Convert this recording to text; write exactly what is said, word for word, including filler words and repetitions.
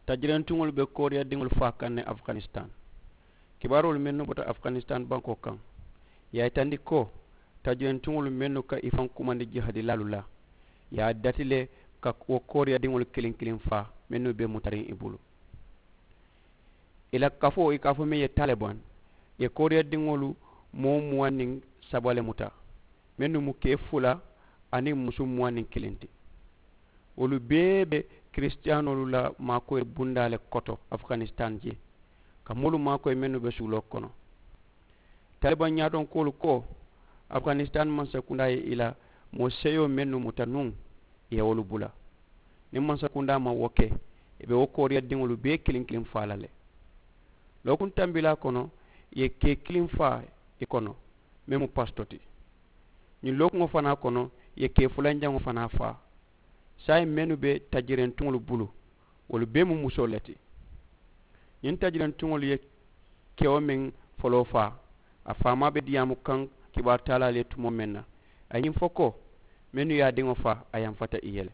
Tajirentiŋolu be kooriyadiŋolu faa kaŋ ne afganistan. Kibaaroolu mennu bota afganistan bankoo kaŋ, ì ye a yitandi ko tajirentiŋolu mennu ka i faŋ kumandi jihadilaalu la, ì ye a dati le ka wo kooriyadiŋolu kiliŋ kiliŋ faa mennu be mutariŋ i bulu. Ì la kafoo ì ka a fo meŋ ye taliban, ì ye kooriyadiŋolu moo muwaŋ niŋ saba le muta, mennu mu kee fula aniŋ musu muwaŋ niŋ kiliŋ ti. Wolu bee be kirisitiyaanoolu la maakoyi bundaa le koto afganistan jee, ka moolu maakoyi mennu be suuloo kono. Taliban ñaatonkoolu ko afganistan mansakundaa ye ì la moo seyoo mennu muta nuŋ, ì ye wolu bula. Niŋ mansakundaa maŋ wo ke, ì be wo kooriyadiŋolu bee kiliŋ kiliŋ faa la le. Lookuŋ tambilaa kono, ì ye kee kiliŋ faa ì kono, meŋ mu pasito ti. Ñiŋ lookuŋo fanaa kono, ì ye kee fulanjaŋo fanaa faa. Saayiŋ mennu be tajirentuŋolu bulu, wolu bee mu musoo le ti. Ñiŋ tajirentuŋolu ye kewo meŋ foloo faa, a faamaa be diyaamu kaŋ kibaaru taalaalu ye tumoo meŋ na, a ye ñiŋ fo ko mennu ye a diŋo faa a yamfata ì ye le.